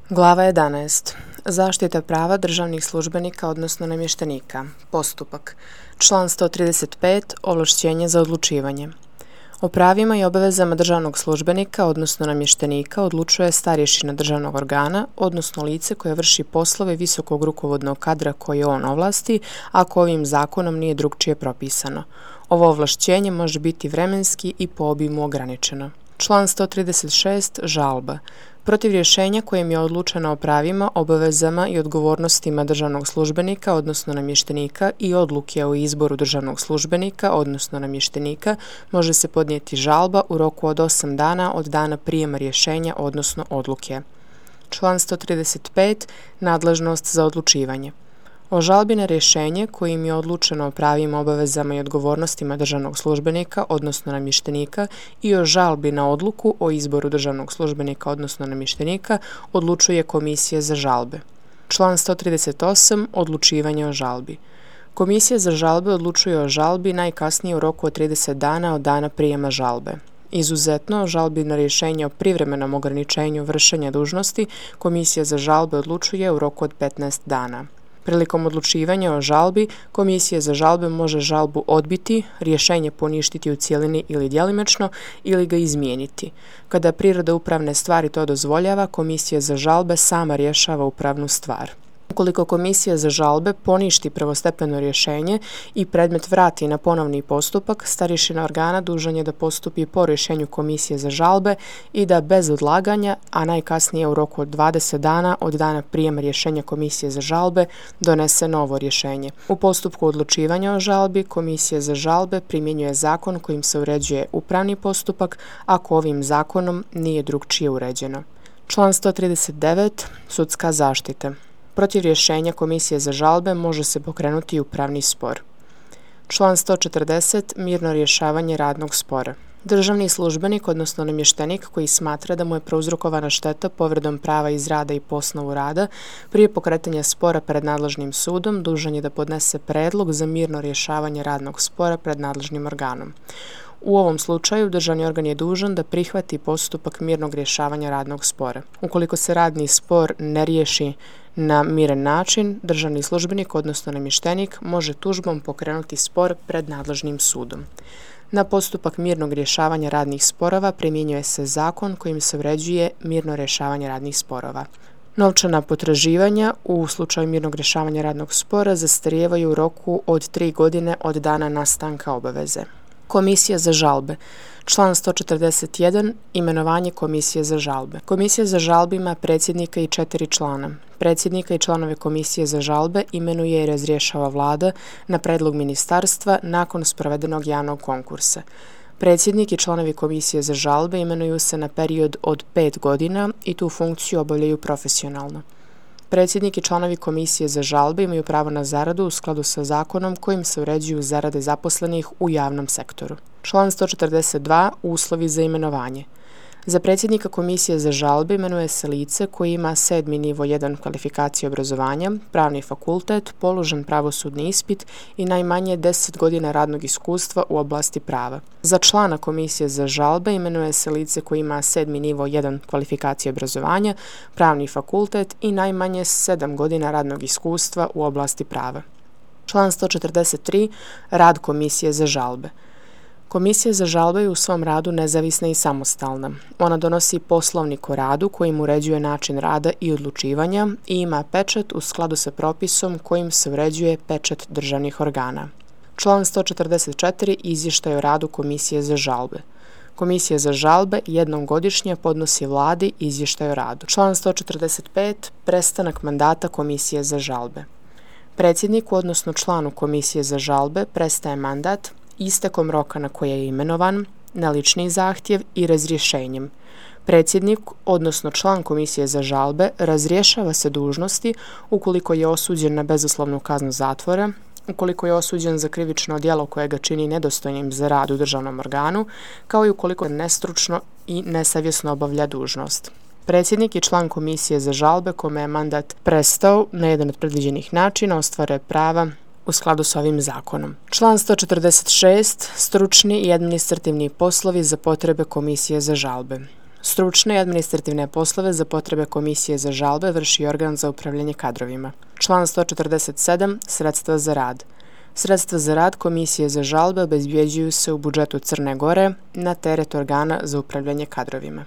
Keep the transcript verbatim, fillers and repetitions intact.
Glava jedanaest. Zaštita prava državnih službenika odnosno namještenika. Postupak. Član sto trideset pet. Ovlašćenje za odlučivanje. O pravima i obavezama državnog službenika odnosno namještenika odlučuje starješina državnog organa, odnosno lice koje vrši poslove visokog rukovodnog kadra koje on ovlasti, ako ovim zakonom nije drukčije propisano. Ovo ovlašćenje može biti vremenski i po obimu ograničeno. Član sto trideset šest. Žalba. Protiv rješenja kojim je odlučeno o pravima, obavezama i odgovornostima državnog službenika odnosno namještenika i odluke o izboru državnog službenika odnosno namještenika može se podnijeti žalba u roku od osam dana od dana prijema rješenja odnosno odluke. Član sto trideset pet. Nadležnost za odlučivanje. O žalbi na rješenje kojim je odlučeno o pravima, obavezama i odgovornostima državnog službenika odnosno namještenika i o žalbi na odluku o izboru državnog službenika odnosno namještenika odlučuje Komisija za žalbe. Član sto trideset osam. Odlučivanje o žalbi. Komisija za žalbe odlučuje o žalbi najkasnije u roku od trideset dana od dana prijema žalbe. Izuzetno, o žalbi na rješenje o privremenom ograničenju vršenja dužnosti Komisija za žalbe odlučuje u roku od petnaest dana. Prilikom odlučivanja o žalbi, Komisija za žalbe može žalbu odbiti, rješenje poništiti u cjelini ili djelimično ili ga izmijeniti. Kada priroda upravne stvari to dozvoljava, Komisija za žalbe sama rješava upravnu stvar. Ukoliko Komisija za žalbe poništi prvostepeno rješenje i predmet vrati na ponovni postupak, starješina organa dužan je da postupi po rješenju Komisije za žalbe i da bez odlaganja, a najkasnije u roku od dvadeset dana od dana prijema rješenja Komisije za žalbe, donese novo rješenje. U postupku odlučivanja o žalbi, Komisija za žalbe primjenjuje zakon kojim se uređuje upravni postupak, ako ovim zakonom nije drukčije uređeno. Član sto trideset devet. Sudska zaštita. Protiv rješenja Komisije za žalbe može se pokrenuti upravni spor. Član sto četrdeset. Mirno rješavanje radnog spora. Državni službenik odnosno namještenik koji smatra da mu je prouzrokovana šteta povredom prava iz rada i po osnovu rada prije pokretanja spora pred nadležnim sudom dužan je da podnese predlog za mirno rješavanje radnog spora pred nadležnim organom. U ovom slučaju državni organ je dužan da prihvati postupak mirnog rješavanja radnog spora. Ukoliko se radni spor ne riješi na miran način, državni službenik odnosno namještenik može tužbom pokrenuti spor pred nadležnim sudom. Na postupak mirnog rješavanja radnih sporova primjenjuje se zakon kojim se uređuje mirno rješavanje radnih sporova. Novčana potraživanja u slučaju mirnog rješavanja radnog spora zastarijevaju u roku od tri godine od dana nastanka obaveze. Komisija za žalbe. Član sto četrdeset jedan. Imenovanje Komisije za žalbe. Komisija za žalbe ima predsjednika i četiri člana. Predsjednika i članove Komisije za žalbe imenuje i razrješava Vlada na predlog ministarstva nakon sprovedenog javnog konkursa. Predsjednik i članovi Komisije za žalbe imenuju se na period od pet godina i tu funkciju obavljaju profesionalno. Predsjednik i članovi Komisije za žalbe imaju pravo na zaradu u skladu sa zakonom kojim se uređuju zarade zaposlenih u javnom sektoru. Član sto četrdeset dva. Uslovi za imenovanje. Za predsjednika Komisije za žalbe imenuje se lice koji ima sedmi nivo jedan kvalifikacije obrazovanja, pravni fakultet, položen pravosudni ispit i najmanje deset godina radnog iskustva u oblasti prava. Za člana Komisije za žalbe imenuje se lice koji ima sedmi nivo jedan kvalifikacije obrazovanja, pravni fakultet i najmanje sedam godina radnog iskustva u oblasti prava. Član sto četrdeset tri. Rad Komisije za žalbe. Komisija za žalbe je u svom radu nezavisna i samostalna. Ona donosi poslovnik o radu kojim uređuje način rada i odlučivanja i ima pečat u skladu sa propisom kojim se uređuje pečat državnih organa. Član sto četrdeset četiri. Izvještaj o radu Komisije za žalbe. Komisija za žalbe jednom godišnje podnosi Vladi izvještaj o radu. Član sto četrdeset pet. Prestanak mandata Komisije za žalbe. Predsjedniku odnosno članu Komisije za žalbe prestaje mandat istekom roka na koje je imenovan, na lični zahtjev i razrješenjem. Predsjednik, odnosno član Komisije za žalbe, razrješava se dužnosti ukoliko je osuđen na bezuslovnu kaznu zatvora, ukoliko je osuđen za krivično djelo koje ga čini nedostojnim za rad u državnom organu, kao i ukoliko nestručno i nesavjesno obavlja dužnost. Predsjednik i član Komisije za žalbe kome je mandat prestao na jedan od predviđenih načina ostvaruje prava u skladu s ovim zakonom. Član sto četrdeset šest. Stručni i administrativni poslovi za potrebe Komisije za žalbe. Stručne i administrativne poslove za potrebe Komisije za žalbe vrši organ za upravljanje kadrovima. Član sto četrdeset sedam. Sredstva za rad. Sredstva za rad Komisije za žalbe obezbjeđuju se u budžetu Crne Gore na teret organa za upravljanje kadrovima.